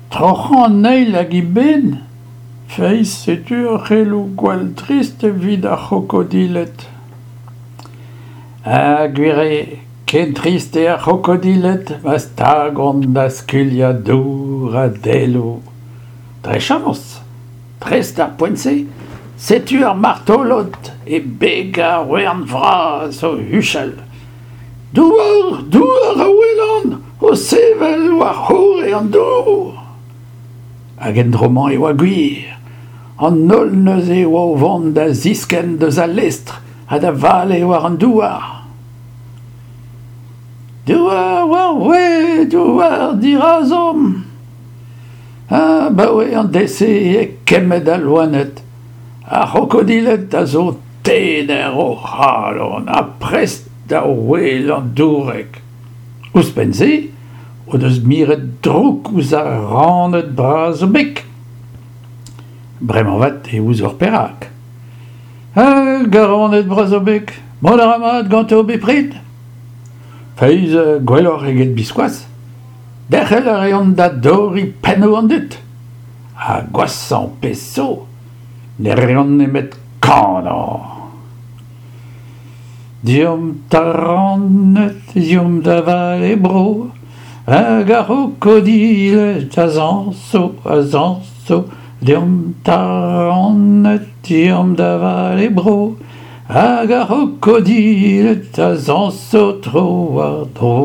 Troc'hañ an eil hag eben ? Feiz, setu ur c'heloù gwall trist evit ar c'hrokodiled. Ha gwir eo, ken trist eo ar c'hrokodiled ma stagont da skuilhañ dour ha daeloù. Dre chañs, dres d'ar poent-se, setu ar martolod e beg ar wern vras o huchal. Douar, douar a welan o sevel war-c'horre an dour. Hag en dro-mañ e oa gwir. An holl neuze e oa o vont da ziskenn deus al lestr ha da vale war an douar. Douar war we, douar dirazomp. Abaoe an deiz-se eo kemmet al loened. Ar c'hrokodiled a zo tener o c'halon ha prest da ouelañ dourek. Ouzhpenn-se o deus miret drouk ouzh ar raned bras o beg. Bremañ avat e ouzoc'h perak. Hag ar raned bras o beg, mont a ra mat ganto bepred. Feiz, gwelloc'h eget biskoazh. Derc'hel a reont da dorriñ pennoù an dud. Ha gwashañ pezh zo, ne reont nemet kanañ. Deomp taraned, deomp da vale bro, hag ar c'hrokodiled a zañso, a zañso. Deomp taraned, deomp da vale bro, hag ar c'hrokodiled a zañso tro-war-dro.